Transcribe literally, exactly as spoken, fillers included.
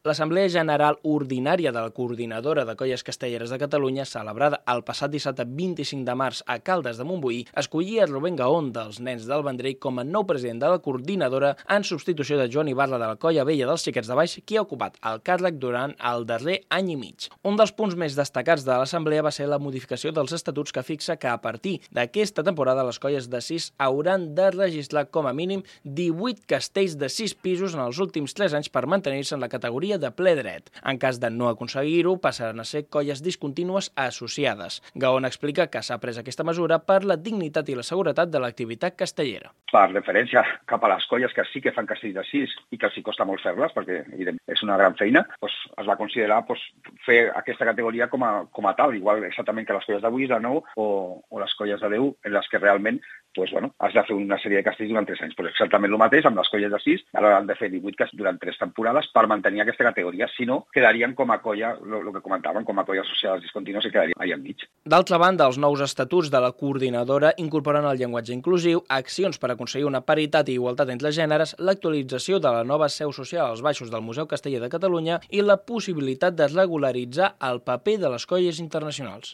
L'Assemblea General Ordinària de la Coordinadora de Colles Castelleres de Catalunya, celebrada el passat dissabte vint-i-cinc de març a Caldes de Montbui, escollia Rubén Gaón dels Nens del Vendrell com a nou president de la coordinadora en substitució de Joan Ibarra de la Colla Vella dels Xiquets de Baix, qui ha ocupat el càrrec durant el darrer any i mig. Un dels punts més destacats de l'Assemblea va ser la modificació dels estatuts que fixa que a partir d'aquesta temporada les colles de sis hauran de registrar com a mínim divuit castells de sis pisos en els últims tres anys per mantenir-se en la categoria de ple dret. En cas de no aconseguir-ho, passaran a ser colles discontínues associades. Gaón explica que s'ha pres aquesta mesura per la dignitat i la seguretat de l'activitat castellera. Per referència cap a les colles que sí que fan castells de sis i que els hi costa molt fer-les, perquè és una gran feina, doncs es va considerar doncs, fer aquesta categoria com a, com a tal, igual exactament que les colles de vuit, de nou o, o les colles de deu, en les que realment doncs, bueno, has de fer una sèrie de castells durant tres anys. Pues exactament el mateix amb les colles de sis, ara han de fer divuit castells durant tres temporades per mantenir aquesta categoria, si no, quedarien com a colla, el que comentaven, com a colla associades discontínues i quedarien allà enmig. D'altra banda, els nous estatuts de la coordinadora incorporen el llenguatge inclusiu, accions per aconseguir una paritat i igualtat entre gèneres, l'actualització de la nova seu social als baixos del Museu Casteller de Catalunya i la possibilitat de regularitzar el paper de les colles internacionals.